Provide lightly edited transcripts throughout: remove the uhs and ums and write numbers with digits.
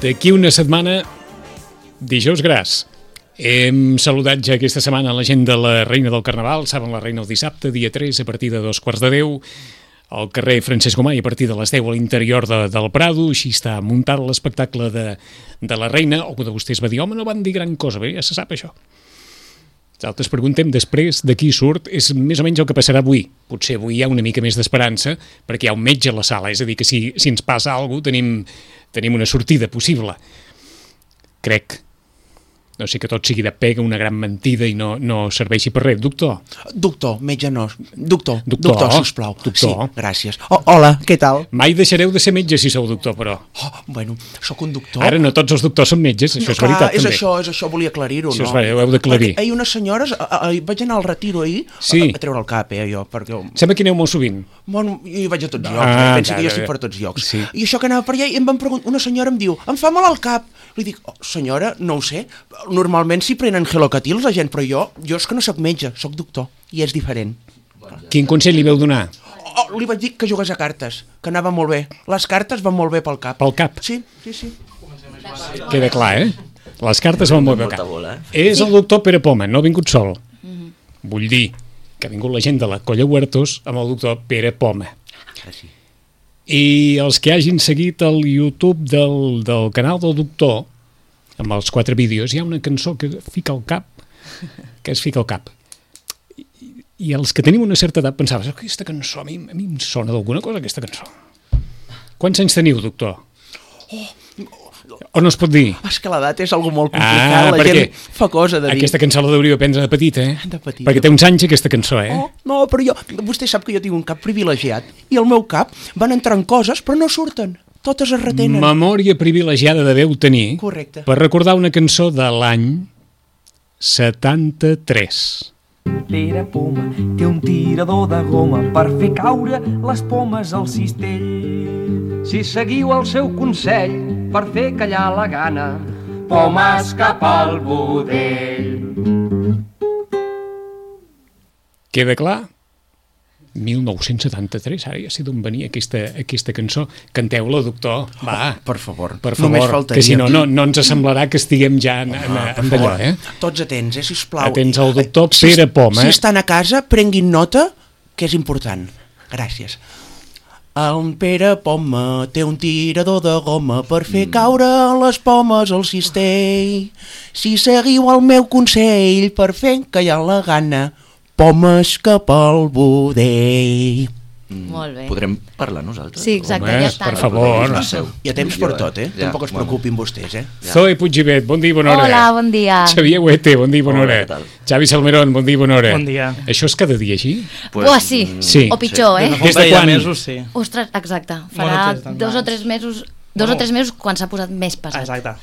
D'aquí una setmana, dijous gras. Hem saludat ja aquesta setmana la gent de la Reina del Carnaval. Saben, la Reina el dissabte, dia 3, a partir de 2:15, al carrer Francesc Gomà, i a partir de les 10 a l'interior del Prado. Així està muntat l'espectacle de la Reina. Algú de vostès va dir, home, no van dir gran cosa. Bé, ja se sap això. Nosaltres preguntem després de qui surt. És més o menys el que passarà avui. Potser avui hi ha una mica més d'esperança, perquè hi ha un metge a la sala. És a dir, que si ens passa alguna cosa, tenim una sortida possible. Crec. No sé que tot sigui de pega, una gran mentida i no serveixi per res. Doctor? Doctor, metge no. Doctor, sisplau. Doctor. Sí, gràcies. Hola, què tal? Mai deixareu de ser metge si sou doctor, però. Bueno, sóc un doctor. Ara no tots els doctors són metges, això és veritat, també. És això, volia aclarir-ho, no? Això ho heu d'aclarir. Ahir unes senyores, vaig anar al retiro ahir, sí. A treure el cap, jo, perquè... Sembla que aneu molt sovint. Bueno, jo hi vaig a tots llocs, penso que jo estic per tots llocs. Sí. I això que anava per allà, i em van preguntar, una senyora em diu, em fa mal al cap. Li dic, senyora, no ho sé, normalment s'hi prenen gelocatils la gent, però jo és que no sóc metge, sóc doctor, i és diferent. Quin consell li veu donar? Li vaig dir que jugués a cartes, que anava molt bé. Les cartes van molt bé pel cap. Pel cap? Sí. Queda clar, Les cartes van molt bé pel cap. És el doctor Pere Poma, no ha vingut sol. Vull dir que ha vingut la gent de la Colla Huertos amb el doctor Pere Poma. Sí. I els que hagin seguit el YouTube del canal del doctor, amb els 4 vídeos, hi ha una cançó que fica al cap, que es fica al cap. I els que tenim una certa edat pensaves, aquesta cançó, a mi em sona d'alguna cosa, aquesta cançó. Quants anys teniu, doctor? O no es pot dir? És que l'edat és algo molt complicat, la gent fa cosa de dir. Aquesta cançó la deuríeu aprendre de petita, De petita. Perquè té uns anys aquesta cançó, No, però vostè sap que jo tinc un cap privilegiat, i el meu cap van entrant coses, però no surten. Totes es retenen. Memòria privilegiada deveu tenir. Correcte. Per recordar una cançó de l'any 73. Pere Poma té un tirador de goma per fer caure les pomes al cistell. Si seguiu el seu consell per fer callar la gana, pomes cap al budell. Queda clar? 1973, ara ja sé d'on venia aquesta cançó. Canteu-la, doctor, va. Per favor. Només faltaria. Que si no ens semblarà que estiguem ja en d'allò, Tots atents, sisplau. Atents al doctor Pere Poma. Si estan a casa, prenguin nota, que és important. Gràcies. El Pere Poma té un tirador de goma per fer caure les pomes al cistell. Si seguiu el meu consell per fer callar la gana, pomes cap al budell. Molt bé. Podrem parlar nosaltres? Sí, exacte, ja està. Per favor. Hi ha temps per tot, Tampoc es preocupin vostès, Zoe Puiggivet, bon dia i bona hora. Hola, bon dia. Xavier Huete, bon dia i bona hora. Xavi Salmerón, bon dia i bona hora. Bon dia. Això és cada dia així? Sí. O pitjor, Des de quan? Mesos, sí. Ostres, exacte. Farà 2 o 3 mesos... 2 o 3 mesos quan s'ha posat més pesat. Exacte.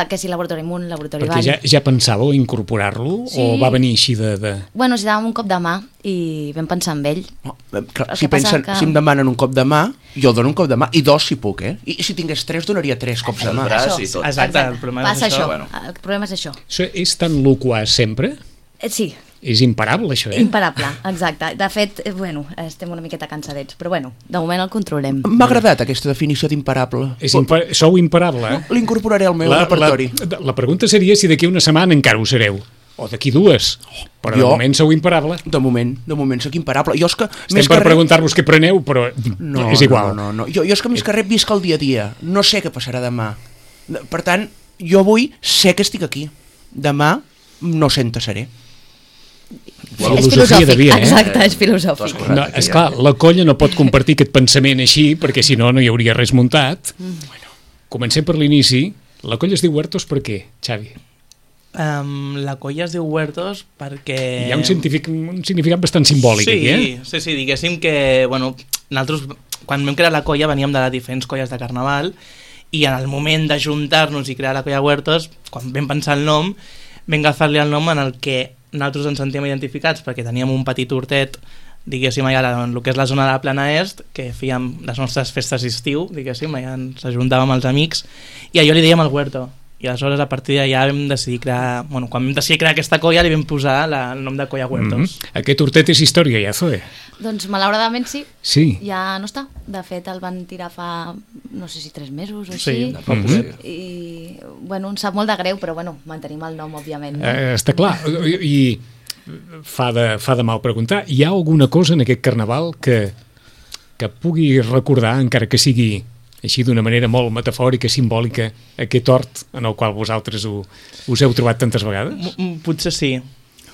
Que si laboratori amunt, laboratori avall. Perquè ja pensàveu incorporar-lo? Sí. O va venir així de... Bueno, si dàvem un cop de mà i vam pensar en ell. Si em demanen un cop de mà, jo dono un cop de mà, i 2 si puc, I si tingués 3, donaria 3 cops de mà. Exacte, el problema és això. El problema és això. Això és tan loquaç sempre? Sí. És imparable, això, Imparable, exacte. De fet, estem una miqueta cansadets, però de moment el controlem. M'ha agradat aquesta definició d'imparable. Sou imparable, L'incorporaré al meu repertori. La pregunta seria si d'aquí una setmana encara ho sereu. O d'aquí 2. Però de moment sou imparable. De moment sóc imparable. Estem per preguntar-vos què preneu, però és igual. No. Jo és que més que res visc el dia a dia. No sé què passarà demà. Per tant, jo avui sé que estic aquí. Demà no sé on seré. És filosòfic, exacte, és filosòfic. No, esclar, la colla no pot compartir aquest pensament així, perquè si no, no hi hauria res muntat. Comencem per l'inici. La colla es diu Huertos per què, Xavi? La colla es diu Huertos perquè... Hi ha un significat bastant simbòlic aquí, Sí, diguéssim que, nosaltres, quan vam crear la colla, veníem de les diferents colles de carnaval, i en el moment d'ajuntar-nos i crear la colla Huertos, quan vam pensar el nom, vam agafar-li el nom en el que nosaltres ens sentíem identificats, perquè teníem un petit hortet, diguéssim, allà en el que és la zona de la Plana Est, que fèiem les nostres festes d'estiu, diguéssim, allà ens ajuntàvem els amics, i allò li dèiem el Huerto. I aleshores, a partir d'allà, vam decidir crear... Bueno, quan vam decidir crear aquesta colla, li vam posar el nom de Colla Huertos. Aquest hortet és història, ja, Zoe? Doncs, malauradament, sí. Sí. Ja no està. De fet, el van tirar fa, no sé si 3 mesos o així. Sí, I bueno, ens sap molt de greu, però bueno, mantenim el nom, òbviament. No? Està clar, i fa de mal preguntar, hi ha alguna cosa en aquest carnaval que pugui recordar, encara que sigui així d'una manera molt metafòrica, simbòlica, aquest hort en el qual vosaltres us heu trobat tantes vegades? Potser sí.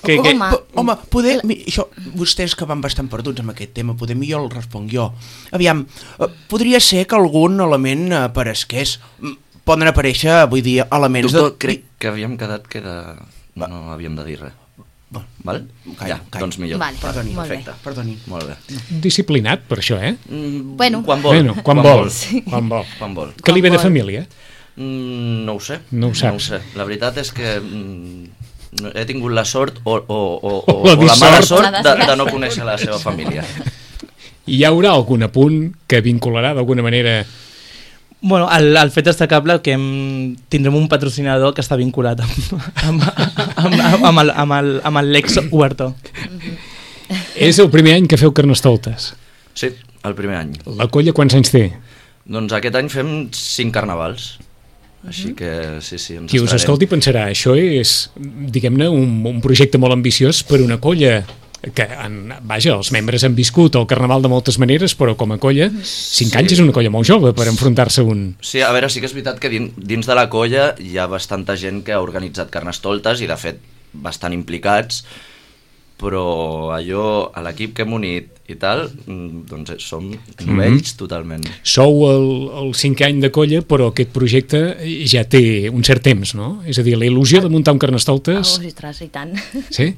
Home, poder... Això, vostès que van bastant perduts amb aquest tema, poder millor el responc jo. Aviam, podria ser que algun element aparesqués. Poden aparèixer, vull dir, elements... Doctor, crec que havíem quedat que no havíem de dir res. Val? Calla. Doncs millor. Vale, Perdoni, perfecte. Perdoni. Molt bé. Disciplinat per això, eh? Bueno. Quan vol. Bueno, quan vol. Sí. Quan vol. Quan vol. Que li ve de vol. família? No ho sé. No ho saps. sé. La veritat és que he tingut la sort o la la mala dissort. sort de no conèixer la seva família. Hi haurà algun apunt que vincularà d'alguna manera... Bueno, el fet destacable que tindrem un patrocinador que està vinculat amb l'ex Huerto. És el primer any que feu Carnestoltes. Sí, el primer any. La colla quants anys té? Doncs aquest any fem 5 carnavals. Així que sí, ens Qui us estarem. escolti pensarà, això és, diguem-ne, un projecte molt ambiciós per una colla que, vaja, els membres han viscut el carnaval de moltes maneres, però com a colla, 5 anys és una colla molt jove per enfrontar-se a un... Sí, a veure, sí que és veritat que dins de la colla hi ha bastanta gent que ha organitzat Carnestoltes i de fet bastant implicats, però allò, a l'equip que hem unit i tal, doncs som novells totalment. Sou el 5è any de colla, però aquest projecte ja té un cert temps, no? És a dir, la il·lusió de muntar un Carnestoltes... Ostres, i tant. Sí?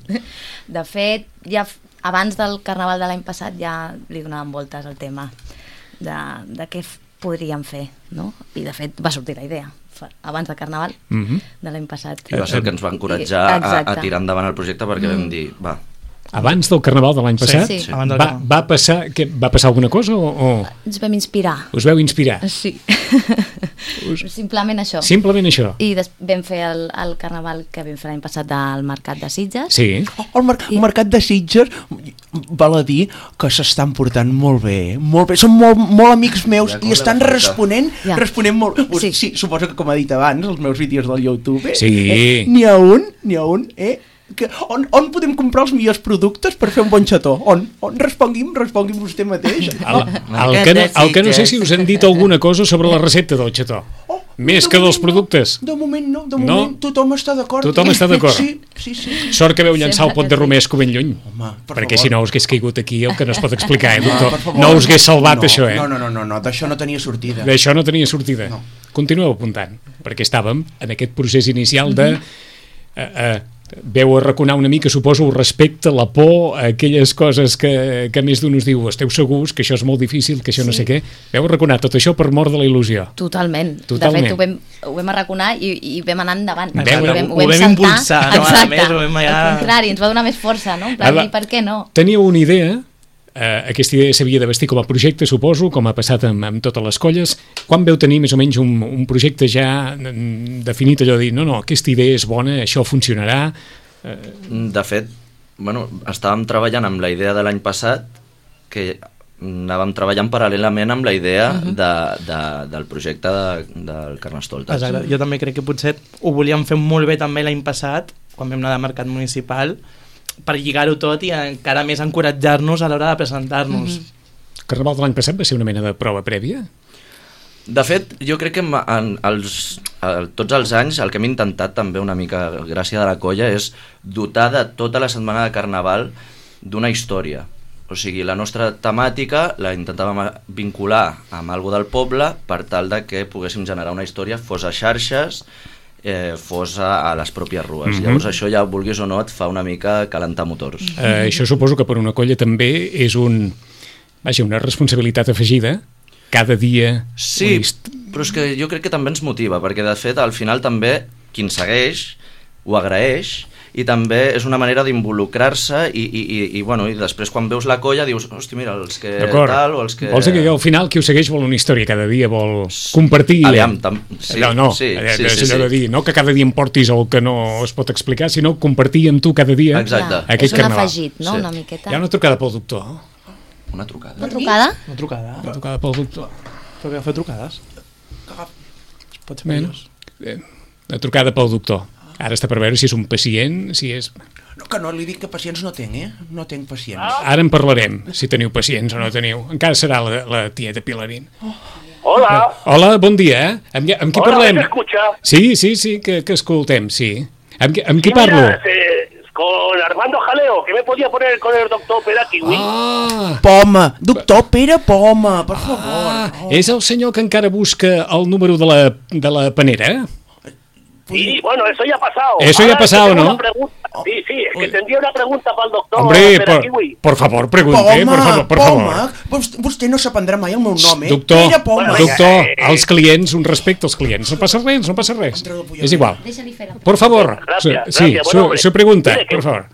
De fet, ja abans del carnaval de l'any passat ja li donàvem voltes al tema de què podríem fer, no? I de fet va sortir la idea abans del carnaval de l'any passat. I va ser el que ens va encoratjar a tirar endavant el projecte perquè vam dir, va. Abans del carnaval de l'any passat? Sí. Va passar alguna cosa o... Ens vam inspirar. Us veu inspirar? Sí. Simplement això. Simplement això. I vam fer el carnaval que vam fer l'any passat del Mercat de Sitges. Sí. El Mercat de Sitges val a dir que s'estan portant molt bé, molt bé. Són molt amics meus i estan responent molt. Sí, suposo que com ha dit abans, els meus vídeos del YouTube, n'hi ha un, on podem comprar els millors productes per fer un bon xató? On? Respongui'm vostè mateix. El que no sé si us han dit alguna cosa sobre la recepta del xató. Més que dels productes. De moment no, tothom està d'acord. Tothom està d'acord. Sí. Sort que veu llançar el pot de romesco ben lluny. Home, perquè si no us hagués caigut aquí el que no es pot explicar, doctor. No us hagués salvat això, eh? No, d'això no tenia sortida. D'això no tenia sortida. Continueu apuntant, perquè estàvem en aquest procés inicial de... veu arraconar una mica, suposo, el respecte, la por, aquelles coses que més d'un us diu, esteu segurs que això és molt difícil, que això no sé què. Veu arraconar tot això per mort de la il·lusió. Totalment. De fet, ho vam arraconar i vam anar endavant. Ho vam impulsar. Exacte. Al contrari, ens va donar més força, no? En plan, i per què no? Teníeu una idea, aquesta idea s'havia de vestir com a projecte, suposo, com ha passat amb totes les colles. Quan veu tenir més o menys un projecte ja definit, allò de dir, no, aquesta idea és bona, això funcionarà? De fet, estàvem treballant amb la idea de l'any passat, que anàvem treballant paral·lelament amb la idea del projecte del Carnestoltes. Exacte. Jo també crec que potser ho volíem fer molt bé també l'any passat, quan vam anar de mercat municipal, per lligar-ho tot i encara més encoratjar-nos a l'hora de presentar-nos. El carnaval de l'any passat va ser una mena de prova prèvia? De fet, jo crec que tots els anys el que hem intentat també una mica gràcia de la colla és dotar de tota la setmana de carnaval d'una història. O sigui, la nostra temàtica la intentàvem vincular amb alguna del poble per tal de que poguéssim generar una història, fos a xarxes, fos a les pròpies rues. Llavors això ja, vulguis o no, et fa una mica calentar motors. Això suposo que per una colla també és una responsabilitat afegida cada dia. Sí, però és que jo crec que també ens motiva, perquè de fet al final també qui ens segueix ho agraeix i també és una manera d'involucrar-se i després quan veus la colla dius, hosti, mira, els que tal o els que... Vols dir que al final qui ho segueix vol una història cada dia, vol compartir... Aviam, sí. És allò de dir, no que cada dia em portis el que no es pot explicar, sinó compartir amb tu cada dia aquest carnaval. És un afegit, no? Una miqueta. Hi ha una trucada pel doctor. Una trucada? Una trucada? Una trucada pel doctor. Però que fa trucades? Pot ser millors. una trucada pel doctor. Ara està per veure si és un pacient, si és... No, que no li dic que pacients no tinc, No tinc pacients. Ara en parlarem, si teniu pacients o no teniu. Encara serà la tieta Pilarín. Hola. Hola, bon dia. Amb qui Hola, parlem? ¿me escucha? Sí, que escoltem, sí. Amb qui parlo? Mira, con Armando Jaleo, que me podía poner con el doctor Perakiwi. Ah, Poma, doctor Pere Poma, per favor. és el senyor que encara busca el número de la panera? Sí, bueno, eso ya ha pasado. Eso ya ha Ahora es que pasado, tengo ¿no? una pregunta. Sí, es que tendría una pregunta para el doctor Hombre, Perakiwi. por favor, pregunte, por favor. Vostè no s'aprendrà mai el meu nom, Doctor, Pere Poma. doctor, als clients, un respecte als clients. No passa res. És igual. Deixa-li fer la Por favor, Gracias, sí, gracias. Bueno, hombre, su pregunta, mire que- por favor.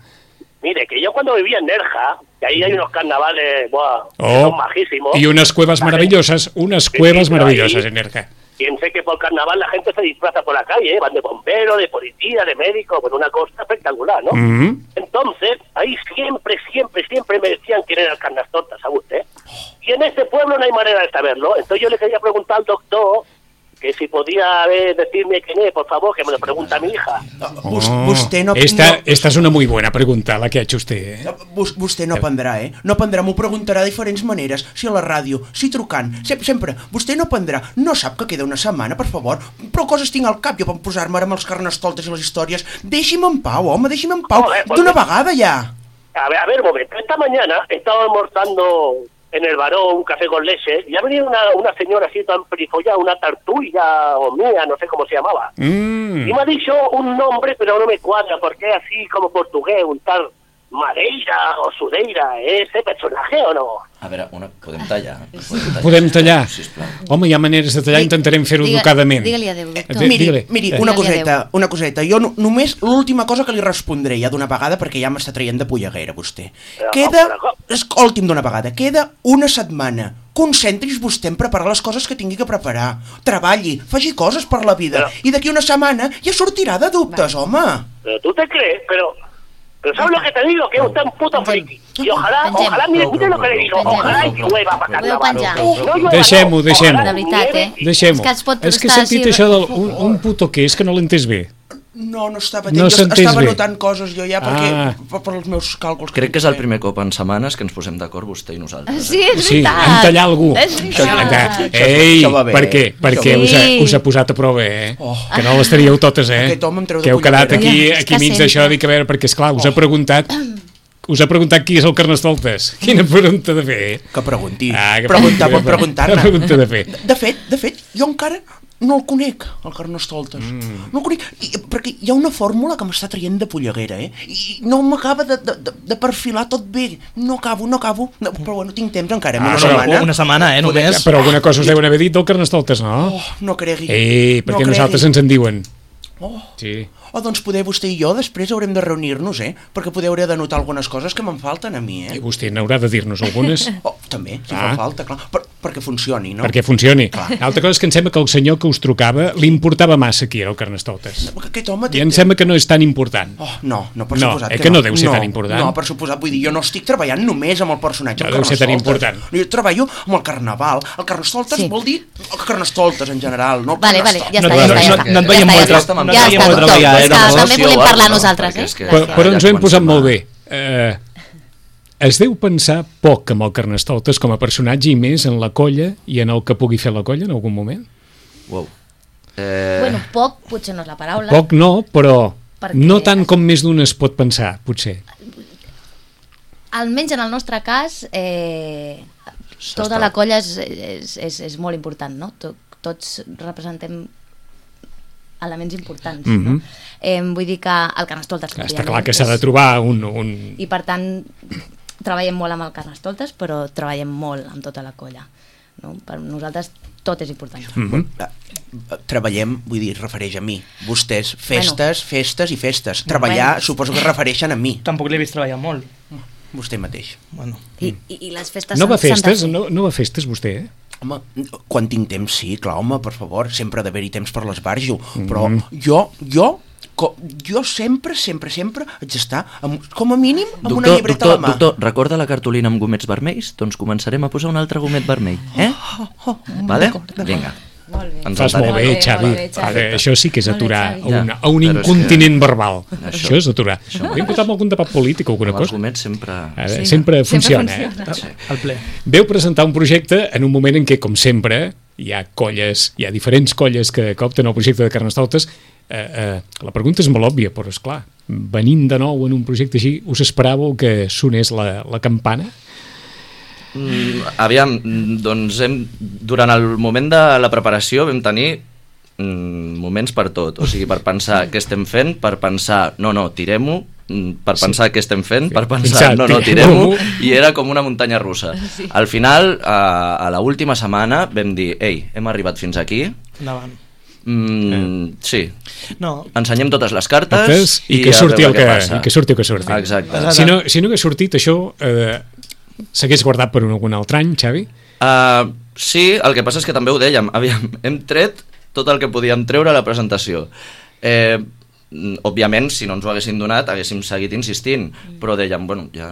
Mire, que yo cuando vivía en Nerja, que ahí hay unos carnavales, buah, que Oh, son majísimos. y unas cuevas La maravillosas, unas Sí, cuevas pero maravillosas ahí- en Nerja. Piense que por carnaval la gente se disfraza por la calle, van de bombero, de policía, de médico, con una cosa espectacular, ¿no? Mhm. Entonces, ahí siempre me decían quién era el Carnestoltes, ¿sabe usted? Y en este pueblo no hay manera de saberlo. Entonces yo le quería preguntar al doctor que si podía decirme quién es, por favor, que me lo pregunta mi hija. Vostè no... Esta es una muy buena pregunta, la que ha hecho usted. Vostè no aprendrà, No aprendrà, m'ho preguntarà de diferents maneres, si a la ràdio, si trucant, sempre. Vostè no aprendrà, no sap que queda una setmana, per favor. Prou coses tinc al cap jo per posar-me ara amb els carnestoltes i les històries. Deixi'm en pau, home, deixi'm en pau. Joder, pues D'una vegada ja. A ver, un momento. Esta mañana estaba almorzando en el Baró un café con leche y ha venido una señora así tan perifollada, una tartulla o mía, no sé cómo se llamaba. Y me ha dicho un nombre, pero no me cuadra, porque es así como portugués, un tal Madeira o Sudeira. ¿Es ese personaje o no? A veure, podem tallar? Podem tallar? Sisplau. Home, hi ha maneres de tallar, intentarem fer-ho educadament. Digue-li adéu, doctor. Digue-li. Miri, Digue-li una coseta. Jo només l'última cosa que li respondré ja d'una vegada, perquè ja m'està traient de polleguera, vostè. Escolti'm d'una vegada, queda una setmana. Concentri's vostè en preparar les coses que tingui que preparar. Treballi, faci coses per la vida. I d'aquí una setmana ja sortirà de dubtes, home. Pero tú te crees, pero ¿sabes lo que te digo? Que usted es un puto friki. Y ojalá, mire lo que le digo, ojalá y llueva para Podeu carnaval. penjar. No llueva, Deixem-ho, no, deixem-ho. ojalá De veritat, nieve. Deixem-ho. És que es pot És que he estar sentit així- això d'un puto que és que no l'he entès bé. No estava No atent, jo s'ha entès estava bé. notant coses jo ja, perquè Ah. per els meus càlculs. Crec que és el primer cop en setmanes que ens posem d'acord vostè i nosaltres. Sí, és Sí, veritat. en tallar algú. És veritat. Ei, això va bé, per què? Perquè Sí. us ha posat a prova, Que no les teníeu totes, Aquest home em treu de Que heu quedat polleguera. aquí És que mig d'això, sempre. dic, a veure, perquè, esclar, us ha preguntat qui és el Carnestoltes. Quina pregunta de fer, Que pregunti. que Preguntar pot Quina preguntar-ne. pregunta de fer. De fet, jo encara no el conec, el Carnestoltes. No el conec, perquè hi ha una fórmula que m'està traient de polleguera, I no m'acaba de perfilar tot bé. No acabo. No, però bueno, tinc temps encara, una setmana. Una setmana, només. Però alguna cosa us deuen haver dit del Carnestoltes, no? Oh, no cregui. Perquè no nosaltres cregui. ens en diuen. Oh. Sí. Doncs poder vostè i jo després haurem de reunir-nos, perquè poder hauré de notar algunes coses que me'n falten a mi, I vostè n'haurà de dir-nos algunes Oh, també, si fa falta, clar. Perquè funcioni, no? perquè funcioni. L'altra cosa és que em sembla que el senyor que us trucava li importava massa qui era el Carnestoltes. Aquest home I em sembla que no és tan important. Oh, no, per No, suposat que no deu ser tan important. No, per suposat, vull dir, jo no estic treballant només amb el personatge No del deu ser tan Carnestoltes. important. Jo treballo amb el Carnaval. El Carnestoltes Sí. vol dir el Carnestoltes en general, no el Vale, Carnestoltes. ja No, està, ja no, està. no et veiem molt Ja està, no et ja veiem està, molt doctor. treballar, És que no? també volem parlar No, nosaltres, perquè és que- Però Gràcies. ens ho hem posat Comencem molt a- bé. Es deu pensar poc amb el Carnestoltes com a personatge i més en la colla i en el que pugui fer la colla en algun moment? Wow. Bueno, poc potser no és la paraula. Poc no, però Perquè- no tant com més d'un es pot pensar, potser. Almenys en el nostre cas, tota la colla és molt important, no? Tots representem elements importants, no? Vull dir que el Carnestoltes... Està òbviament, clar que s'ha de és- trobar un... I per tant, treballem molt amb el Carnestoltes, però treballem molt amb tota la colla. No? Per nosaltres tot és important. Treballem, vull dir, refereix a mi. Vostès, festes i festes. Treballar, Bueno. suposo que refereixen a mi. Tampoc l'he vist treballar molt. Vostè mateix. Bueno. I les festes No va a s'han de festes? fer. No va a festes, vostè? Home, quan tinc temps, sí, clar, home, per favor, sempre ha d'haver-hi temps per l'esbarjo, però jo sempre haig d'estar, com a mínim, amb una llibreta a la mà. Doctor, recorda la cartolina amb gomets vermells? Doncs començarem a posar un altre gomet vermell, Vale? Vinga. Molt bé. Ens Fas molt entenem. bé, Xavi. molt bé, Xavi. Això sí que és Molt bé, aturar Xavi. a un però és incontinent verbal. Això. Això és aturar. Hauríem posat algun debat polític o alguna Amb cosa. arguments sempre... Sempre Sempre funciona. funciona. Al ple. Veu presentar un projecte en un moment en què, com sempre, hi ha diferents colles que opten al projecte de Carnestoltes. La pregunta és molt òbvia, però esclar, venint de nou en un projecte així, us esperàveu que sonés la campana? Aviam, doncs durant el moment de la preparació vam tenir moments per tot, o sigui, per pensar què estem fent, per pensar, no, tirem-ho, per pensar què estem fent, per pensar, no, tirem-ho, i era com una muntanya russa. Al final, a l'última setmana, vam dir, ei, hem arribat fins aquí, Endavant. sí, No, ensenyem totes les cartes I que a surti veure el que, passa. i que surti el que surti. Exacte. Si no hagués sortit això, s'hagués guardat per algun altre any, Xavi? Sí, el que passa és que també ho dèiem, aviam, hem tret tot el que podíem treure a la presentació. Òbviament, si no ens ho haguessin donat, haguéssim seguit insistint, però dèiem, bueno, ja...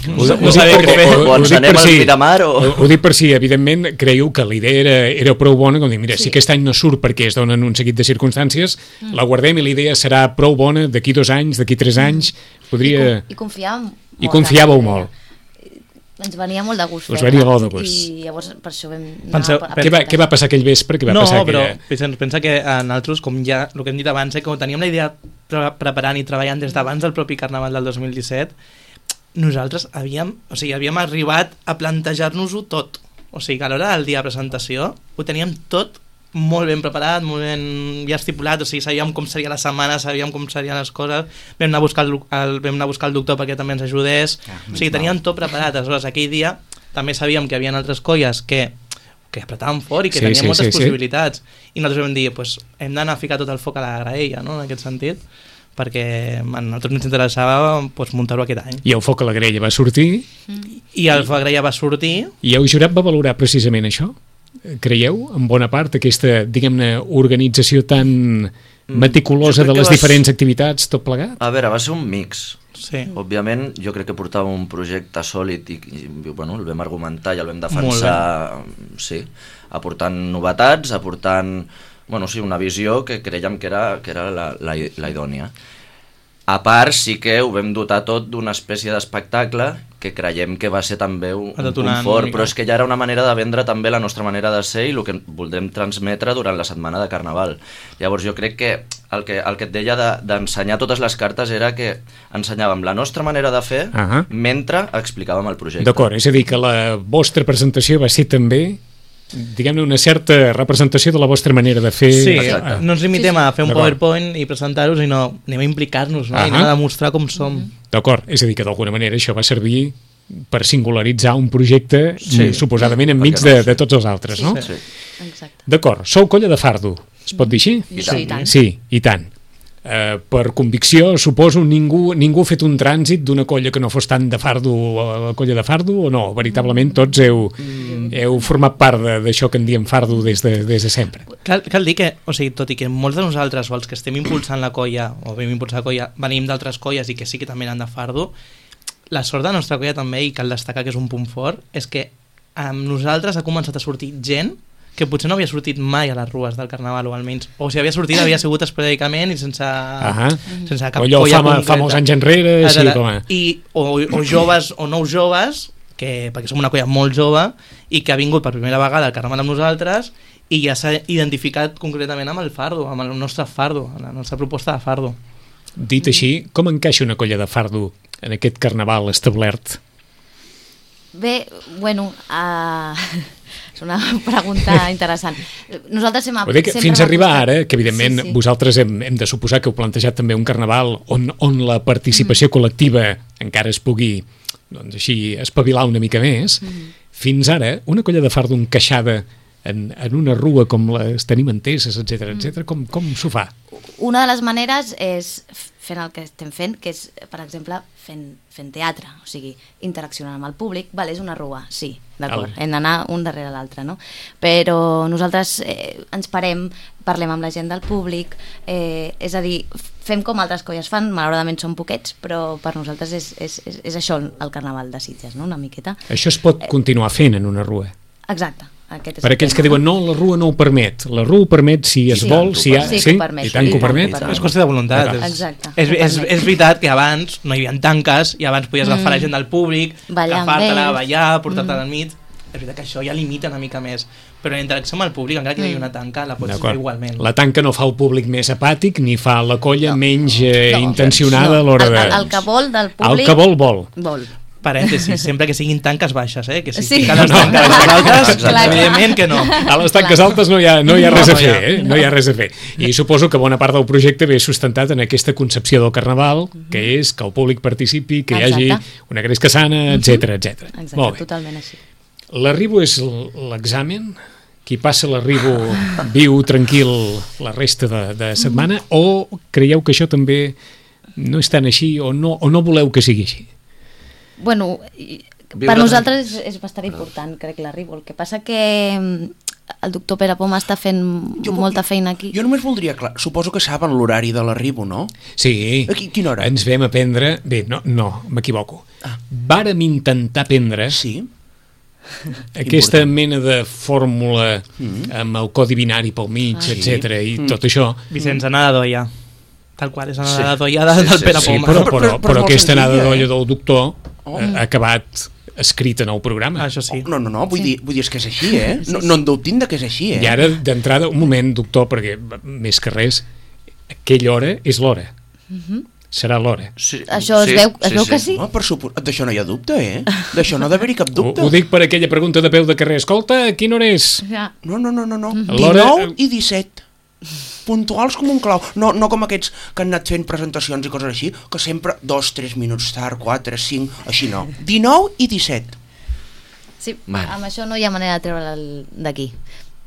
No sabia què fer. O ens anem al Miramar o... Ho dic per si, evidentment, creieu que la idea era prou bona, com dir, mira, si aquest any no surt perquè es donen un seguit de circumstàncies, la guardem i la idea serà prou bona d'aquí 2 anys, d'aquí 3 anys, podria... I confiàvem molt. I confiàveu molt. Ens venia molt de gust Us fer-la. venia molt de gust. I llavors per això vam Penseu, Què va passar aquell vespre? Què va no, passar però aquella... pensa que a nosaltres, com ja el que hem dit abans, com teníem la idea preparant i treballant des d'abans del propi Carnaval del 2017, nosaltres havíem arribat a plantejar-nos-ho tot. O sigui que a l'hora del dia de presentació ho teníem tot molt ben preparat, molt ben ja estipulat, o sigui, sabíem com seria la setmana, sabíem com serien les coses, vam anar a buscar el doctor perquè també ens ajudés, o sigui, teníem tot preparat. Aleshores, aquell dia també sabíem que hi havia altres colles que apretaven fort i que tenien moltes possibilitats, i nosaltres vam dir, pues, hem d'anar a ficar tot el foc a la graella, no?, en aquest sentit, perquè a nosaltres ens interessava pues, muntar-ho aquest any. I el foc a la graella va sortir? I el foc a la graella va sortir. I el jurat va valorar precisament això? Creieu, en bona part, aquesta, diguem-ne, organització tan meticulosa de les diferents activitats, tot plegat? A veure, va ser un mix. Sí. Òbviament, jo crec que portava un projecte sòlid i bueno, el vam argumentar i el vam defensar, sí, aportant novetats, aportant, bueno, sí, una visió que creiem que era la idònia. A part, sí que ho vam dotar tot d'una espècie d'espectacle que creiem que va ser també un punt fort, però és que ja era una manera de vendre també la nostra manera de ser i el que voldrem transmetre durant la setmana de Carnaval. Llavors jo crec que el que et deia d'ensenyar totes les cartes era que ensenyàvem la nostra manera de fer mentre explicàvem el projecte. D'acord, és a dir, que la vostra presentació va ser també, diguem-ne, una certa representació de la vostra manera de fer. Sí, no ens limitem a fer un PowerPoint i presentar-ho, sinó anem a implicar-nos, no? I anem a demostrar com som. D'acord, és a dir, que d'alguna manera això va servir per singularitzar un projecte suposadament enmig de tots els altres, no? Sí. D'acord, sou colla de fardo, es pot dir així? I tant. Sí, i tant. Per convicció, suposo, ningú ha fet un trànsit d'una colla que no fos tant de fardo a la colla de fardo, o no? Veritablement tots heu format part d'això que en diem fardo des de sempre. Cal dir que, o sigui, tot i que molts de nosaltres o els que estem impulsant la colla o vam impulsar la colla venim d'altres colles i que sí que també eren de fardo, la sort de la nostra colla també, i cal destacar que és un punt fort, és que amb nosaltres ha començat a sortir gent que potser no havia sortit mai a les rues del Carnaval, o almenys, o si havia sortit havia sigut esporàdicament i sense cap allò colla concreta. fa molts anys enrere, sí, com a... o joves o nous joves, perquè som una colla molt jove i que ha vingut per primera vegada al Carnaval amb nosaltres i ja s'ha identificat concretament amb el fardo, amb el nostre fardo, amb la nostra proposta de fardo. Dit així, com encaixa una colla de fardo en aquest Carnaval establert? Bé, bueno, és una pregunta interessant. Nosaltres fins a arribar ara, que evidentment vosaltres hem de suposar que heu plantejat també un Carnaval on la participació col·lectiva encara es pugui, doncs així, espavilar una mica més, fins ara, una colla de fardo encaixada en una rua com les tenim enteses, etc., com s'ho fa? Una de les maneres és fent el que estem fent, que és, per exemple, fent teatre, o sigui, interaccionant amb el públic. Vale, és una rua, sí, d'acord, hem d'anar un darrere l'altre, no? Però nosaltres ens parlem amb la gent del públic, és a dir, fem com altres colles fan, malauradament són poquets, però per nosaltres és això el Carnaval de Sitges, no?, una miqueta. Això es pot continuar fent en una rua? Exacte, Aquest és Per el aquells tema. que diuen no, la rua no ho permet. La rua ho permet si es Sí, vol, si hi ha... sí que ho permet. I tant que ho permet. És qüestió de voluntat. Exacte. És veritat que abans no hi havia tanques i abans podies agafar la gent del públic, Ballar amb agafar-te-la, ells. ballar, portar-te al mig. És veritat que això ja limita una mica més. Però la interacció amb el públic, encara que hi hagi una tanca, la pots fer D'acord. igualment. La tanca no fa el públic més apàtic ni fa la colla menys intencionada a l'hora de... El que vol del públic... El que vol, vol. Vol. Parèntesis, sempre que siguin tanques baixes, que si Sí. fiquen les tanques No, a les altres, exacte. evidentment que no. A les tanques altes no hi ha res a No hi fer, ha. no hi ha res a fer. I suposo que bona part del projecte ve sustentat en aquesta concepció del carnaval, que és que el públic participi, que hi hagi Exacte. una gresca sana, etc etc. Exacte, Molt bé. totalment així. L'arribo és l'examen? Qui passa l'arribo viu tranquil la resta de setmana? O creieu que això també no és tan així o no voleu que sigui així? Bueno, Viure per nosaltres és bastant important, crec, l'arribo. El que passa que el doctor Pere Poma està fent molta feina aquí. Jo només voldria, clar, suposo que saben l'horari de l'arribo, no? Sí. A quina hora? Ens vam aprendre... Bé, no, m'equivoco. Vàrem intentar aprendre Sí? aquesta mena de fórmula amb el codi binari pel mig, etc i tot això. Vicenç, anada d'olla. Tal qual, és anada Sí. d'olla Sí, del sí, Pere sí, Sí, Poma. però és molt aquesta anada senzilla, d'olla del doctor Oh. ha acabat escrita en el programa. Això sí. No, vull dir és que és així, No en dubtin de que és així, I ara, d'entrada, un moment, doctor, perquè més que res, aquella hora és l'hora. Serà l'hora. Sí, Això es veu que sí? No, per suposat, d'això no hi ha dubte, D'això no ha d'haver-hi cap dubte. Ho dic per aquella pregunta de peu de carrer. Escolta, a quina hora és? Ja. No. L'hora- 19 i 17. Puntuals com un clau. No com aquests que han anat fent presentacions i coses així, que sempre 2-3 minuts tard, 4, 5, així no. 19 i 17. Sí, Vale. amb això no hi ha manera de treure'l d'aquí.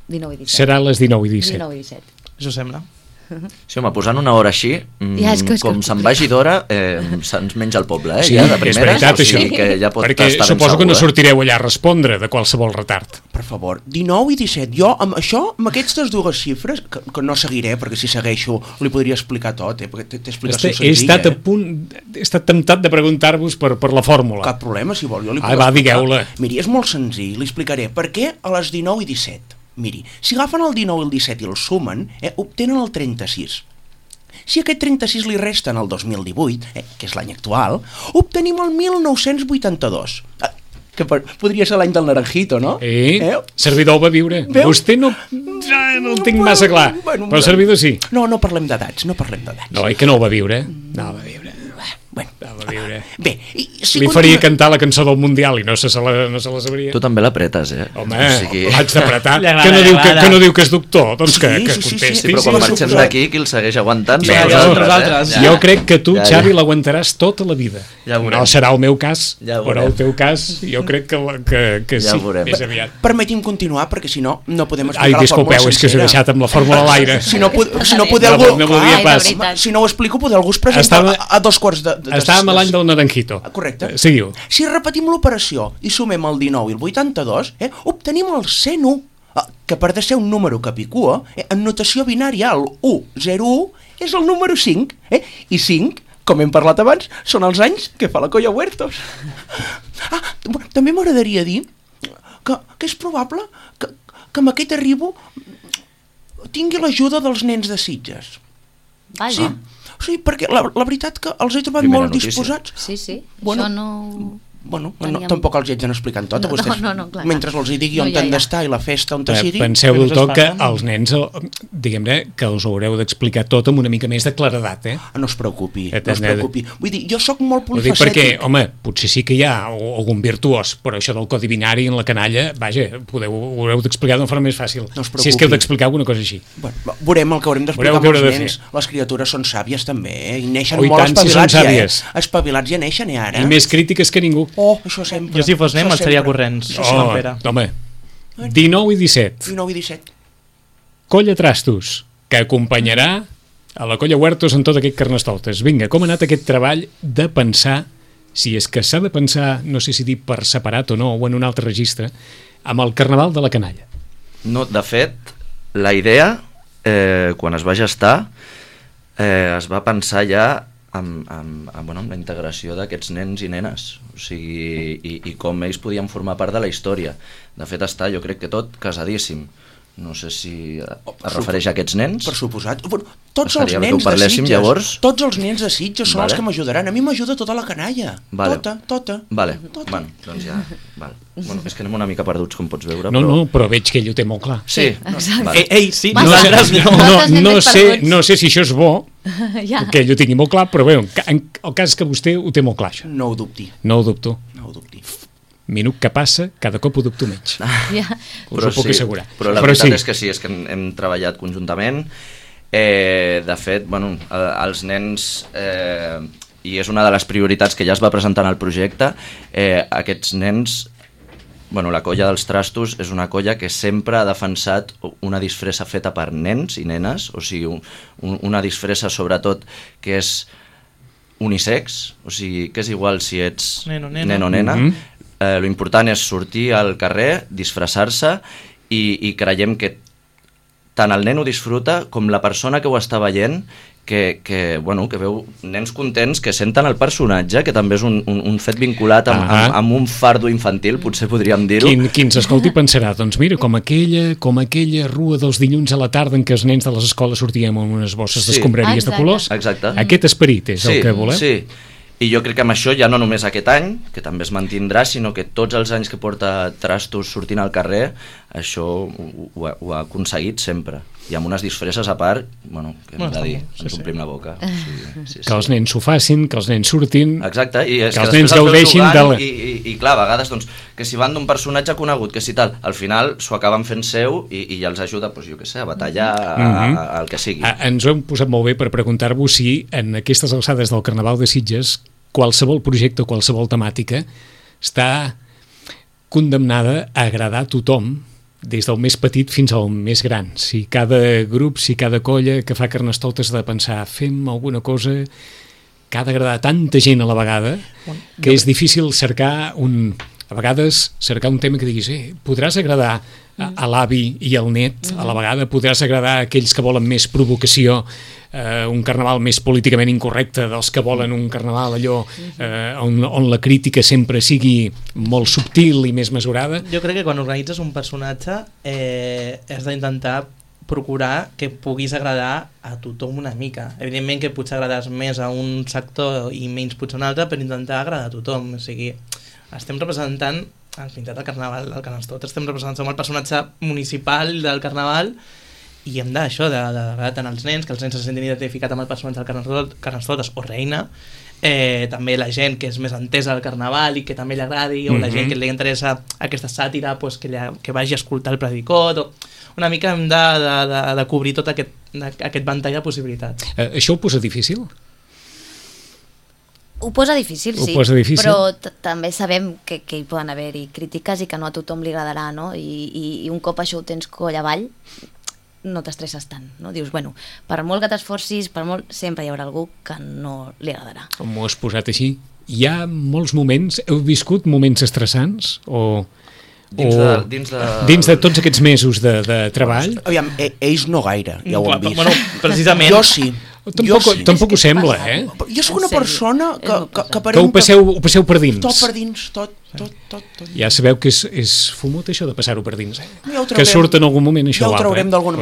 19 i 17. Serà a les 19 i 17. 19 i 17. Això sembla. Sí, home, posant una hora així, Ja, és que com se'n vagi d'hora, se'ns menja el poble, Sí, ja, de és primeres, veritat, o sigui això. que ja pot Perquè estar ben suposo que no segur, sortireu allà a respondre de qualsevol retard. Per favor, 19 i 17. Jo, amb això, amb aquestes dues xifres, que no seguiré, perquè si segueixo li podria explicar tot, perquè té explicació He senzilla. estat a punt, he estat temptat de preguntar-vos per la fórmula. Cap problema, si vol, jo li puc Va, explicar. digueu-la. Miri, és molt senzill, li explicaré. Per què a les 19 i 17? Miri, si agafen el 19 i el 17 i el sumen, obtenen el 36. Si aquest 36 li resten el 2018, que és l'any actual, obtenim el 1982. Que podria ser l'any del Naranjito, no? Servidor va viure. Veu? Vostè no el tinc massa clar, Bueno, però el servidor sí. No parlem d'edats, no parlem d'edats. No, que no el va viure. No el va viure. Bueno, No el va viure. bé, si Li faria cantar la cançó del Mundial i no se la sabria. Tu també l'apretes, Home, O sigui... l'haig d'apretar. Li agrada, Que no li diu agrada. que no diu que és doctor, doncs que Sí, contesti. Sí, però quan marxem d'aquí, qui el segueix aguantant? Sí, Som nosaltres. Ja. Jo crec que tu, Ja, Xavi, l'aguantaràs tota la vida. Ja ho veurem. No serà el meu cas, Ja ho però veurem. el teu cas jo crec que Ja sí, ho veurem. més aviat. Permeti'm continuar, perquè si no, no podem explicar Ai, la fórmula disculpeu, és que us he sencera. deixat amb la fórmula a l'aire. Si no poder No, algú... no volia Ai, de pas. veritat. Si no ho explico, poder algú es presenta Estava- a 2 quarts de... Estàvem a l'any del Naranjito. Correcte. Seguiu. Si repetim l'operació i sumem el 19 i el 82, obtenim el 101, que per de ser un número capicua, en notació binària el 1, 0, 1 és el número 5, i 5, com hem parlat abans, són els anys que fa la Colla Huertos. També m'agradaria dir que és probable que amb aquest arribo tingui l'ajuda dels nens de Sitges. Vaja. Sí, perquè la veritat que els he trobat Primera molt notícia. disposats. Sí. Bueno, Això no... Bueno, Teníem- tampoc els hi haig d'anar explicant tot a No, vostès. no, clar. Mentre els hi digui on ja, han ja. d'estar i la festa on sigui. Penseu, Que no doctor, que s'espanten. els nens, diguem-ne, que us ho haureu d'explicar tot amb una mica més de claredat, No es preocupi, Et no es has de- preocupi. Vull dir, jo sóc molt Ho dic perquè, polifacètic. home, potser sí que hi ha algun virtuós, però això del codi binari en la canalla, vaja, ho haureu d'explicar d'una forma més fàcil. No es Si és que heu preocupi. d'explicar alguna cosa així. Bueno, veurem el que haurem d'explicar Veureu amb què els haureu de nens. Les criatures són sàvies també, i neixen Oh, i molt tant, si són espavilats ja, sàvies. Espavilats ja neixen, ara. I més crítiques que ningú. Oh, això sempre. Jo si fos nen això me'n seria sempre. corrents. Això Oh. sempre. Pere. Home, 19 i 17. 19 i 17. Colla Trastos, que acompanyarà a la Colla Huertos en tot aquest Carnestoltes. Vinga, com ha anat aquest treball de pensar, si és que s'ha de pensar, no sé si dir per separat o no, o en un altre registre, amb el Carnaval de la Canalla? No, de fet, la idea, quan es va gestar, es va pensar ja amb la integració d'aquests nens i nenes, o sigui, i com ells podien formar part de la història. De fet està, jo crec que tot casadíssim. No sé si es refereix a aquests nens. Per suposat. Tots els Estaria bé que nens ho parléssim, de Sitges, llavors. tots els nens de Sitges són Vale. els que m'ajudaran. A mi m'ajuda tota la canalla. Vale. Tota. Vale, bueno, doncs ja... Vale. Bueno, és que anem una mica perduts, com pots veure. No, però veig que ell ho té molt clar. Sí, exacte. vale. Ei, sí, Massa. nosaltres no. Nosaltres anem més perduts. No sé si això és bo, Ja. que ell ho tingui molt clar, però bé, en el cas és que vostè ho té molt clar, això. No ho dubti. No ho dubto. No ho dubti. Minut que passa, cada cop ho dubto menys. Ja. Us ho puc assegurar. Però la veritat és que sí, és que hem treballat conjuntament. De fet, bueno, els nens, i és una de les prioritats que ja es va presentar en el projecte, aquests nens, bueno, la colla dels Trastos és una colla que sempre ha defensat una disfressa feta per nens i nenes, o sigui, una disfressa sobretot que és unisex, o sigui, que és igual si ets Nen o nena. nen o nena. Lo important és sortir al carrer, disfressar-se i creiem que tant el nen ho disfruta com la persona que ho està veient que veu nens contents que senten el personatge, que també és un fet vinculat amb un fardo infantil, potser podríem dir-ho. Qui ens escolti pensarà, doncs mira, com aquella rua dels dilluns a la tarda en què els nens de les escoles sortíem amb unes bosses d'escombraries de colors. Exacte. Aquest esperit és el que volem. Sí. I jo crec que amb això ja no només aquest any, que també es mantindrà, sinó que tots els anys que porta Trastos sortint al carrer, això ho ha aconseguit sempre. I amb unes disfresses a part, bueno, que hem de dir, ens omplim la boca. Sí. Que els nens s'ho facin, que els nens surtin... Exacte, i és que els després nens gaudeixin jugant, de... I clar, a vegades, doncs, que si van d'un personatge conegut, que si tal, al final s'ho acaben fent seu i ja els ajuda, doncs, jo què sé, a batallar, al que sigui. Ens ho hem posat molt bé per preguntar-vos si en aquestes alçades del Carnaval de Sitges qualsevol projecte o qualsevol temàtica està condemnada a agradar a tothom, des del més petit fins al més gran. Si cada grup, si cada colla que fa Carnestoltes ha de pensar fem alguna cosa que ha d'agradar a tanta gent a la vegada, que és difícil cercar a vegades cercar un tema que diguis podràs agradar a l'avi i al net a la vegada, podràs agradar a aquells que volen més provocació, un carnaval més políticament incorrecte, dels que volen un carnaval allò on la crítica sempre sigui molt subtil i més mesurada. Jo crec que quan organitzes un personatge has d'intentar procurar que puguis agradar a tothom una mica. Evidentment que potser agrades més a un sector i menys potser a un altre, per intentar agradar a tothom. O sigui, estem representant el pintat del carnaval del Carnestoltes, estem representant el personatge municipal del carnaval i hem d'això, d'agradar tant als nens, que els nens se sentin identificats amb el personatge del Carnestoltes o Reina, també la gent que és més entesa al carnaval i que també li agradi, o la gent que li interessa aquesta sàtira, pues, que vagi a escoltar el predicot, una mica hem de cobrir tot aquest ventall de possibilitats. Això ho posa difícil? Ho posa difícil, sí, però també sabem que hi poden haver-hi crítiques i que no a tothom li agradarà, no? I un cop això ho tens coll avall, no t'estresses tant, no? Dius, bueno, per molt que t'esforcis, sempre hi haurà algú que no li agradarà. Com ho has posat així? Hi ha molts moments, heu viscut moments estressants dins de tots aquests mesos de treball? Aviam, ells no gaire, ja ho han vist. Bueno, precisament. Jo sí. Tampoc ho sembla, Jo soc una persona que ho passeu per dins. Tot per dins, tot. Ja sabeu que és fumut això de passar-ho per dins, Ja que surt en algun moment això ja ho traurem d'alguna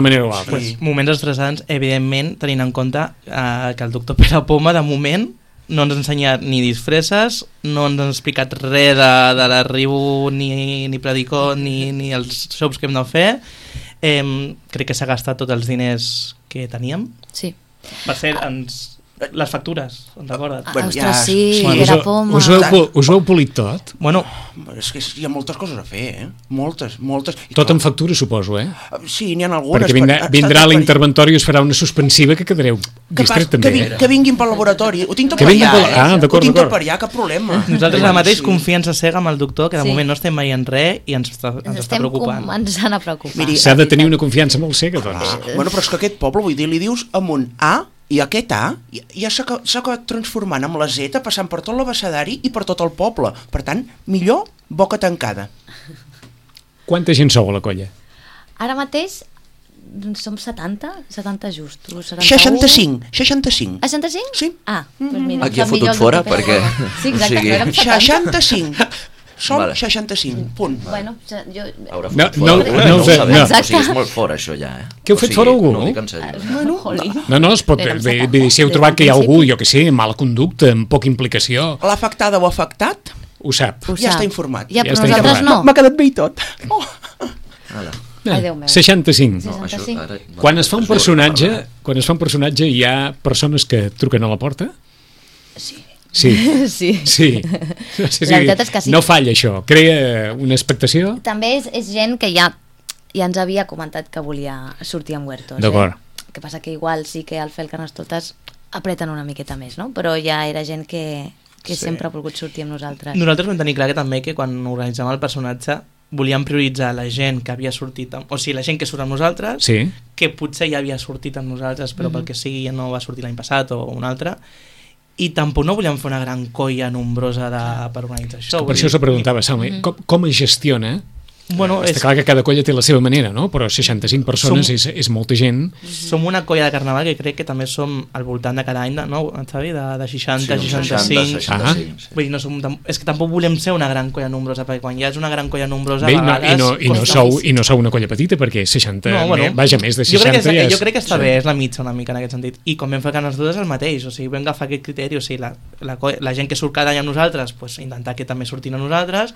manera o altra. Moments estressants, evidentment, tenint en compte que el doctor Pere Poma, de moment, no ens ha ensenyat ni disfresses, no ens ha explicat res de l'arribo, ni predicó, ni els shows que hem de fer. Crec que s'ha gastat tots els diners que teníem. Sí. Per cert, les factures, en recordes? Ostres, sí, Pere Poma. Us ho heu polit tot? Bueno, és que hi ha moltes coses a fer, Moltes. Tot en factura, suposo, Sí, n'hi ha algunes. Perquè vindrà l'interventori i us farà una suspensiva que quedareu distret també. Que vinguin pel laboratori. Ho tinc tot per allà, Ho tinc tot per allà, cap problema. Nosaltres ara mateix confiança cega amb el doctor, que de moment no estem veient res i ens està preocupant. Ens han a preocupar. S'ha de tenir una confiança molt cega, doncs. Bueno, però és que aquest poble, vull dir, li dius amb un A, i aquest A ja s'ha acabat transformant amb la Z, passant per tot l'abecedari i per tot el poble. Per tant, millor boca tancada. Quanta gent sou a la colla? Ara mateix som 70 justos. 65. 65? Sí. Ah, doncs mira, Aquí ha em sap fotut millor el fora, que feia. perquè... Sí, exacte, o sigui, no érem 70. 65. Som Vale. 65, punt. Bueno, jo... Haurà No, fotut fora no, algú, no, ho sabem. no. O sigui, és molt fora, això, ja. Que heu fet fora algú? No ho dic en sèrio. Jolín. No, es pot... Érem Vull 70. dir, si heu trobat que hi ha algú, jo que sé, amb mala conducta, amb poca implicació, L'afectada o afectat ho sap. Ho ja sap. està informat. Ja, Ja però està nosaltres informat. no. M'ha quedat bé i tot. Oh. Ala. Ai, Déu meu. 65. No, això, 65. ara... Quan es fa un personatge, hi ha persones que truquen a la porta? Sí. Sí. Sí. Sí. La veritat és que sí. No falla això, crea una expectació. També és gent que ja ens havia comentat que volia sortir amb Huertos. D'acord. El que passa que igual sí que al fer el Carnestoltes apreten una miqueta més, no? Però ja era gent que sempre ha volgut sortir amb nosaltres. Nosaltres vam tenir clar que també que quan organitzàvem el personatge volíem prioritzar la gent que havia sortit o sigui, la gent que surt amb nosaltres, Sí. que potser ja havia sortit amb nosaltres però pel que sigui ja no va sortir l'any passat o un altre, i tampoc no volíem fer una gran colla nombrosa per organitzar això. Per això us preguntava, Salme, com es gestiona? Bueno, Està clar que cada colla té la seva manera, no? Però 65 persones és molta gent. som una colla de carnaval que crec que també som al voltant de cada any, no, Xavi? De 60, Sí, 65... 65, sí. Vull dir, no som, és que tampoc volem ser una gran colla nombrosa, perquè quan ja és una gran colla nombrosa Bé, a vegades... i no sou una colla petita, perquè 60, vaja, més de 60 jo crec que està bé, és la mitja una mica en aquest sentit. I com vam fer Carnestoltes és el mateix, o sigui, vam agafar aquest criteri, o sigui, la gent que surt cada any amb nosaltres, pues, intentar que també surtin amb nosaltres.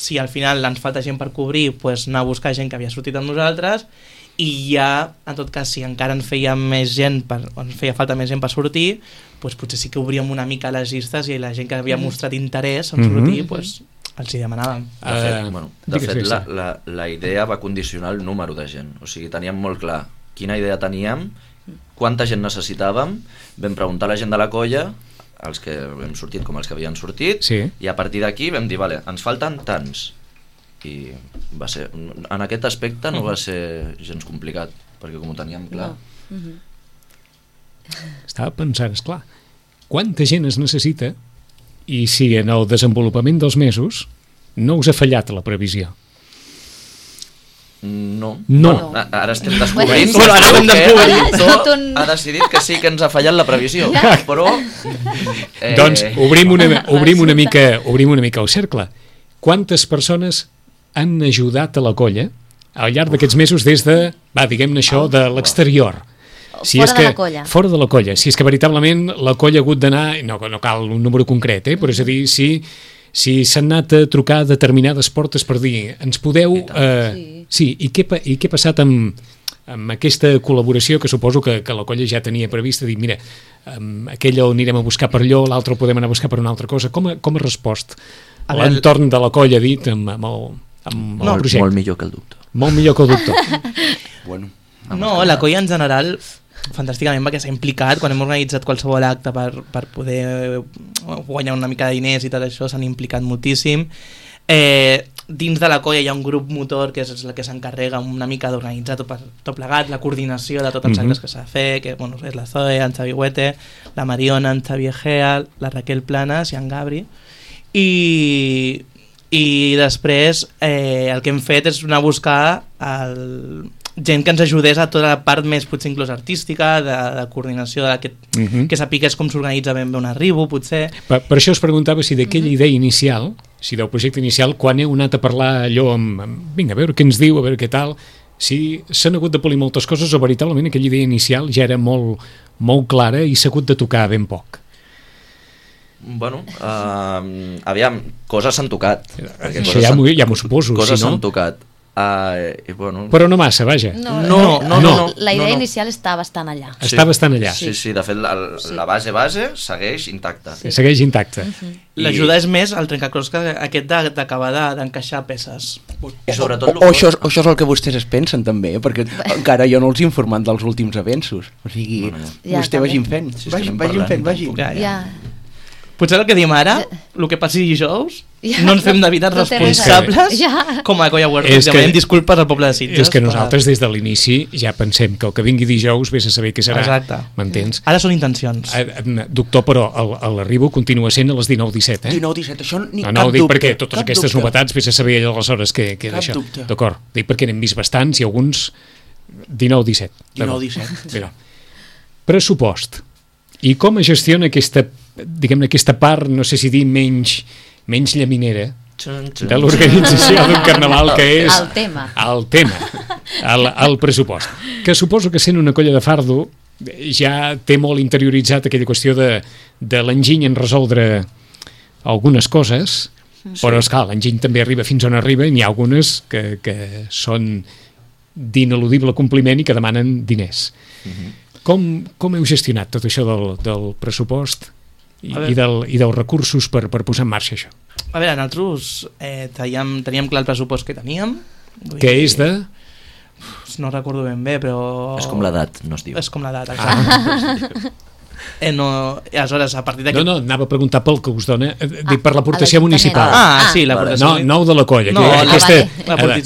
Si al final ens falta gent per cobrir, pues, anar a buscar gent que havia sortit amb nosaltres, i ja, en tot cas, si encara ens feia falta més gent per sortir, pues, potser sí que obríem una mica les llistes i la gent que havia mostrat interès en sortir, pues, els hi demanàvem. De fet, la idea va condicionar el número de gent. O sigui, teníem molt clar quina idea teníem, quanta gent necessitàvem, vam preguntar a la gent de la colla, els que hem sortit com els que havien sortit, sí. I a partir d'aquí vam dir, vale, ens falten tants. I va ser, en aquest aspecte no va ser gens complicat, perquè com ho teníem clar... No. Estava pensant, esclar, quanta gent es necessita i si en el desenvolupament dels mesos no us ha fallat la previsió? No. Ara estem Bueno, descobrint bueno, ara ho hem descobert. ha decidit que sí que ens ha fallat la previsió, però doncs obrim una mica el cercle. Quantes persones han ajudat a la colla al llarg d'aquests mesos des de, diguem-ne això, de l'exterior? Fora de la colla. Si és que veritablement la colla ha hagut d'anar, no cal un número concret, però és a dir, si s'han anat a trucar a determinades portes per dir, ens podeu... Sí, i què ha passat amb aquesta col·laboració que suposo que la colla ja tenia prevista, dir, mira, aquell el anirem a buscar per allò, l'altre el podem anar a buscar per una altra cosa. Com ha respost l'entorn de la colla dit amb el projecte? Molt millor que el doctor. Molt millor que el doctor. Bueno. No, la colla en general fantàsticament perquè s'ha implicat quan hem organitzat qualsevol acte per poder guanyar una mica de diners i tot això, s'han implicat moltíssim. Dins de la colla hi ha un grup motor que és el que s'encarrega una mica d'organitzar tot plegat, la coordinació de tots els actes que s'ha de fer, que bueno, és la Zoe, en Xavi Huete, la Mariona, en Xavi Egea, la Raquel Planas i en Gabri, i després el que hem fet és anar a buscar gent que ens ajudés a tota la part més potser inclús artística, de coordinació que sapigués com s'organitza ben bé un arribo, potser. Per això us preguntava si d'aquella idea inicial, si del projecte inicial, quan heu anat a parlar allò vinga, a veure què ens diu, a veure què tal, si s'han hagut de polir moltes coses o veritablement aquella idea inicial ja era molt, molt clara i s'ha hagut de tocar ben poc. Bueno, aviam, coses s'han tocat. Això ja m'ho suposo. Coses s'han tocat. I bueno... Però no massa, vaja. No. La idea inicial està bastant allà. Està bastant allà. Sí, de fet la base segueix intacta. Segueix intacta. L'ajuda és més el trencaclosca aquest d'acabar d'encaixar peces. I sobretot això és el que vostès es pensen també, perquè encara jo no els he informat dels últims avenços. O sigui, vostè vagin fent. Vagin. Ja. Potser el que diem ara, el que passi dijous, no ens fem de veritat responsables com a colla Huertos. Demanem disculpes al poble de Sitges. És que nosaltres des de l'inici ja pensem que el que vingui dijous vés a saber què serà. Exacte. M'entens? Ara són intencions. Doctor, però l'arribo continua sent a les 19:17, 19:17, això ni cap dubte. No, ho dic perquè totes aquestes novetats vés a saber aleshores què d'això. D'acord, dic perquè n'hem vist bastants i alguns 19-17. 19-17. Pressupost. I com es gestiona aquesta, diguem-ne, aquesta part, no sé si dir menys llaminera de l'organització d'un carnaval, que és El tema. el pressupost. Que suposo que sent una colla de fardo ja té molt interioritzat aquella qüestió de l'enginy en resoldre algunes coses, però esclar, l'enginy també arriba fins on arriba i n'hi ha algunes que són d'ineludible compliment i que demanen diners. Com heu gestionat tot això del pressupost i dels recursos per posar en marxa això? A veure, nosaltres teníem clar el pressupost que teníem. Que és de... No recordo ben bé, però... És com l'edat, no es diu. És com l'edat, exacte. Aleshores, a partir d'aquest... No, anava a preguntar pel que us dona, dic per l'aportació municipal. Sí, l'aportació... No de la colla. No, vale.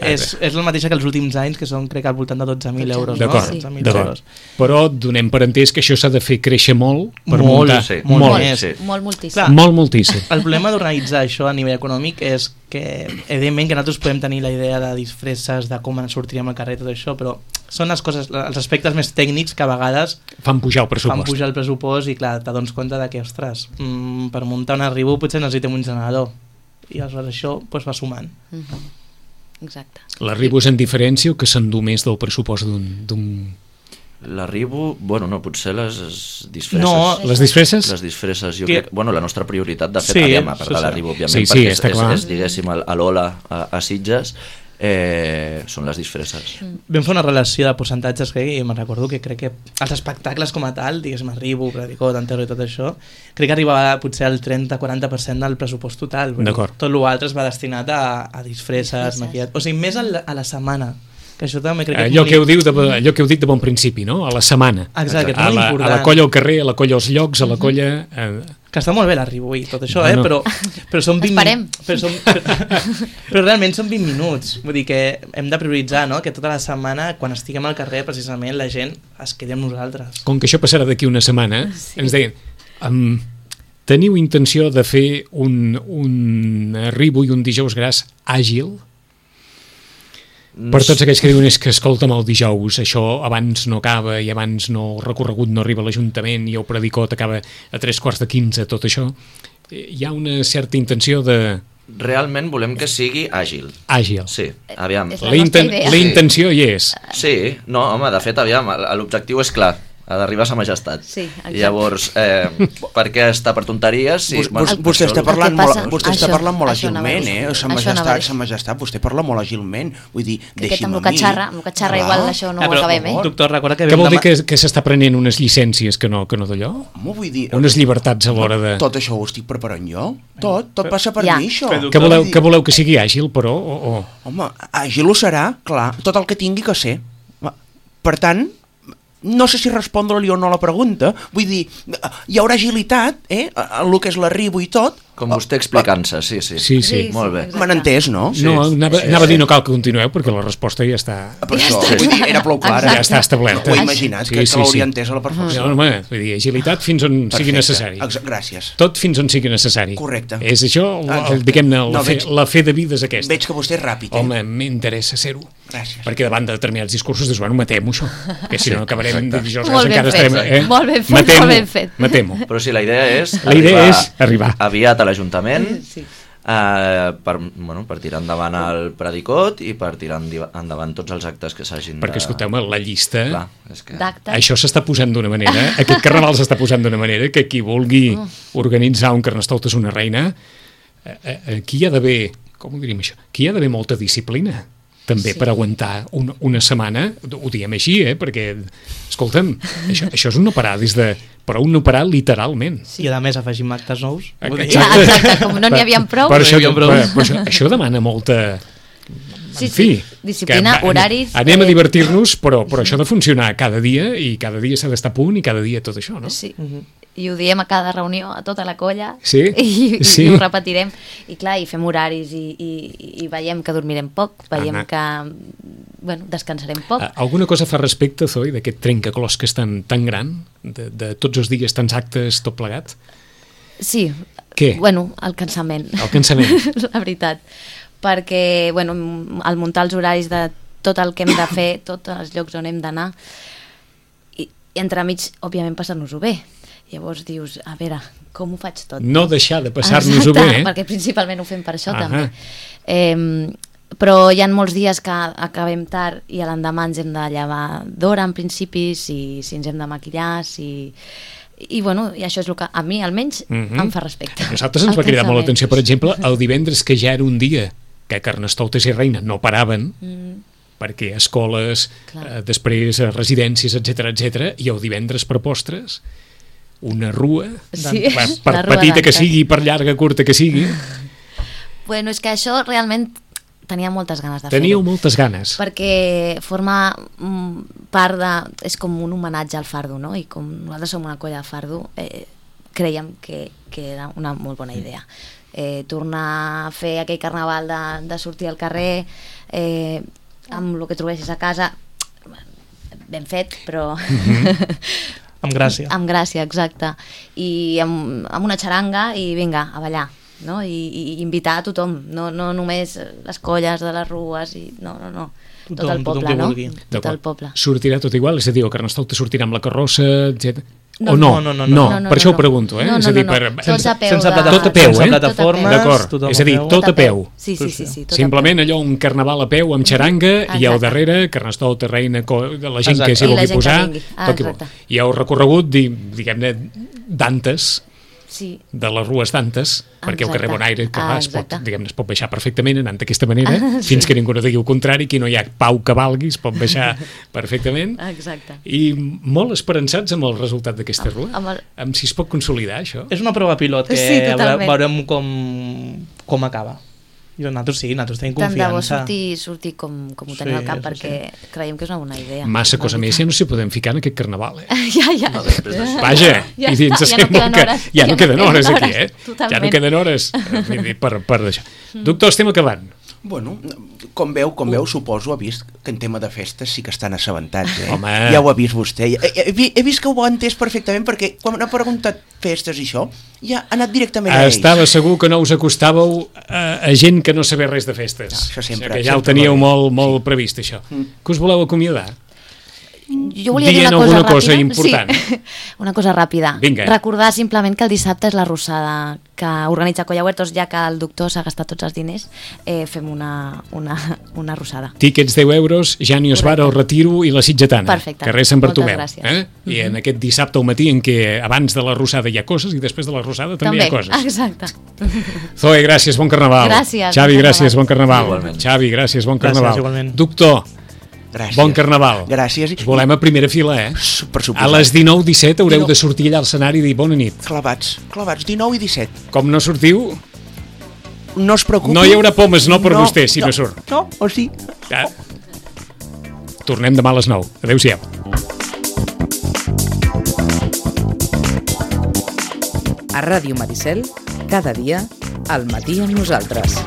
És la mateixa que els últims anys, que són, crec, al voltant de 12.000 euros. D'acord. Però donem per entès que això s'ha de fer créixer molt per muntar. Moltíssim. Molt, moltíssim. El problema d'organitzar això a nivell econòmic és que, evidentment, que nosaltres podem tenir la idea de disfresses, de com ens sortiríem al carrer, tot això, però són les coses, els aspectes més tècnics que a vegades fan pujar el pressupost i clar, t'adones compte que, ostres, per muntar un arribo potser necessitem un generador i aleshores això va sumant. Exacte. L'arribo és en diferència o que s'endú més del pressupost d'un... L'arribo, bueno, no, potser les disfresses. No, les disfresses? Les disfresses, jo crec, bueno, la nostra prioritat, de fet, a part de l'arribo, òbviament, perquè és, diguéssim, a l'Ola, a Sitges, són les disfresses. Vam fer una relació de percentatges i me'n recordo que crec que els espectacles com a tal, diguéssim, arribo, predicó, tantero i tot això, crec que arribava potser al 30-40% del pressupost total. Tot l'altre es va destinat a disfresses, maquillat, o sigui, més a la setmana. Que això també crec que allò que heu dit de bon principi, no? A la setmana. Exacte, que és molt important. A la colla al carrer, a la colla als llocs, a la colla... Que està molt bé l'arribo i tot això, però són 20 minuts. Però realment són 20 minuts. Vull dir que hem de prioritzar, no? Que tota la setmana, quan estiguem al carrer, precisament la gent es quedi amb nosaltres. Com que això passarà d'aquí una setmana, ens deien... Teniu intenció de fer un arribo i un dijous gras àgil? Per tots aquells que diuen és que escolta'm, el dijous això abans no acaba i abans el recorregut no arriba a l'Ajuntament i el predicot acaba a 3:15, tot això, hi ha una certa intenció de... Realment volem que sigui àgil. Àgil. Sí, aviam. La intenció hi és. Sí, no, home, de fet, aviam, l'objectiu és clar, ha d'arribar a Sa Majestat. Sí, exacte. Llavors, per què està per tonteries? Sí, vostè està parlant molt àgilment, Sa Majestat, vostè parla molt àgilment. Vull dir, deixi'm a mi. Amb el que xarra igual això no ho acabem, Doctor, recorda que... Què vol dir que s'està prenent unes llicències que no d'allò? Vull dir... Unes llibertats a l'hora de... Tot això ho estic preparant jo. Tot passa per mi, això. Què voleu que sigui àgil, però? Home, àgil ho serà, clar, tot el que tingui que ser. Per tant... No sé si respondre-li o no la pregunta. Vull dir, hi haurà agilitat, el que és l'arribo i tot. Com vostè explicant-se, sí. Molt bé. M'han entès, no? No, anava a dir no cal que continueu perquè la resposta ja està... Per això, vull dir, era prou clara. Ja està establerta. Ho he imaginat, que l'hauria entès a la perfecció. No, home, vull dir, agilitat fins on sigui necessari. Gràcies. Tot fins on sigui necessari. Correcte. És això, diguem-ne, la fe de vida és aquesta. Veig que vostè és ràpid. Home, m'interessa ser-ho. Gràcies. Perquè davant de determinats discursos dius, bueno, matem-ho això, que si no acabarem dijous encara estarem... Molt ben fet. Matem-ho. Però sí, la idea és arribar aviat a l'Ajuntament per tirar endavant el predicot i per tirar endavant tots els actes que s'hagin de... Perquè, escolteu-me, la llista... d'actes. Això s'està posant d'una manera, aquest carnaval s'està posant d'una manera que qui vulgui organitzar un Carnestoltes una reina, aquí hi ha d'haver, com ho diríem això, aquí hi ha d'haver molta disciplina també per aguantar una setmana, ho diem així, perquè, escolta'm, això és un no parar però un no parar literalment. I a més afegim actes nous. Exacte, com no n'hi havia prou. Això demana molta... Sí, disciplina, horaris... Anem a divertir-nos, però això ha de funcionar cada dia i cada dia s'ha d'estar a punt i cada dia tot això, no? Sí, i ho diem a cada reunió, a tota la colla, i ho repetirem. I clar, i fem horaris i veiem que dormirem poc, veiem que descansarem poc. Alguna cosa fa respecte, Zoe, d'aquest trencaclosques tan gran, de tots els dies, tants actes, tot plegat? Sí. Què? El cansament. El cansament. La veritat. Perquè, al muntar els horaris de tot el que hem de fer, tots els llocs on hem d'anar, i entremig, òbviament, passar-nos-ho bé. Llavors dius, a veure, com ho faig tot? No deixar de passar-nos-ho bé. Perquè principalment ho fem per això, també. Però hi ha molts dies que acabem tard i a l'endemà ens hem de llevar d'hora, en principi, si ens hem de maquillar, I això és el que a mi, almenys, em fa respecte. A nosaltres ens va cridar molt l'atenció, per exemple, el divendres, que ja era un dia que Carnestoltes i Reina no paraven, perquè escoles, després residències, etc, i el divendres per postres, una rua, per petita que sigui, per llarga, curta que sigui. Bueno, és que això realment tenia moltes ganes de fer-ho. Teníeu moltes ganes. Perquè forma part de... És com un homenatge al fardo, no? I com nosaltres som una colla de fardo, creiem que era una molt bona idea. Tornar a fer aquell carnaval de sortir al carrer amb el que trobessis a casa, ben fet, però... Amb gràcia. Amb gràcia, exacte. I amb una xaranga i vinga, a ballar. No? I invitar a tothom, no només les colles de les rues, no. Tot el poble, no? Tot el poble. Sortirà tot igual? És a dir, el Carnestoltes sortirà amb la carrossa, etc. No, per això ho pregunto, és a dir, sense peu, plataformes, d'acord, és a dir, tot a peu. Sí, simplement allò, un carnaval a peu amb xaranga i al darrere Carnestoltes, Reina, la gent que s'hi vulgui posar, i el recorregut, diguem-ne, d'Antes, de les rues d'Antes, perquè el carrer Bonaire es pot baixar perfectament anant d'aquesta manera, fins que ningú no digui el contrari, que no hi ha pau que valgui, es pot baixar perfectament. Exacte. I molt esperançats amb el resultat d'aquesta rua, amb si es pot consolidar això. És una prova pilot que veurem com acaba. I nosaltres tenim confiança. Tant de bo sortir com ho tenim al cap, perquè creiem que és una bona idea. Massa cosa més, ja no s'hi podem ficar en aquest carnaval, Ja. Vaja, i ens sembla que ja no queden hores aquí, Ja no queden hores per això. Doctor, estem acabant. Bueno, com veu, suposo, ha vist que en tema de festes sí que estan assabentats, Home. Ja ho ha vist vostè. He vist que ho ha entès perfectament, perquè quan ha preguntat festes i això, ja ha anat directament a ells. Estava segur que no us acostàveu a gent que no sabia res de festes. Això sempre. Que ja ho teníeu molt previst, això. Que us voleu acomiadar? Jo volia dir una cosa important. Sí, una cosa ràpida. Vinga. Recordar simplement que el dissabte és la rossada que organitza Colla Huertos, ja que el doctor s'ha gastat tots els diners, fem una rossada. Tíquets 10 euros, Jani Osvara, el Retiro i la Sitgetana. Perfecte. Carrer Sant Bartomeu. Moltes gràcies. I en aquest dissabte al matí en què abans de la rossada hi ha coses i després de la rossada també hi ha coses. Exacte. Zoe, gràcies, bon carnaval. Gràcies. Xavi, gràcies, bon carnaval. Xavi, gràcies, bon carnaval. Gràcies, igualment. Doctor, Gràcies. Bon carnaval. Gràcies. Us volem a primera fila, Per suposat. A les 19:17 haureu de sortir allà al escenari i dir bona nit. Clavats, 19 i 17. Com no sortiu, no es preocupi. No hi haurà pomes, no per vostè, si no surt. No, o sí. Ja. Tornem demà a les 9. Adéu-siau. A Ràdio Maricel, cada dia, al matí amb nosaltres.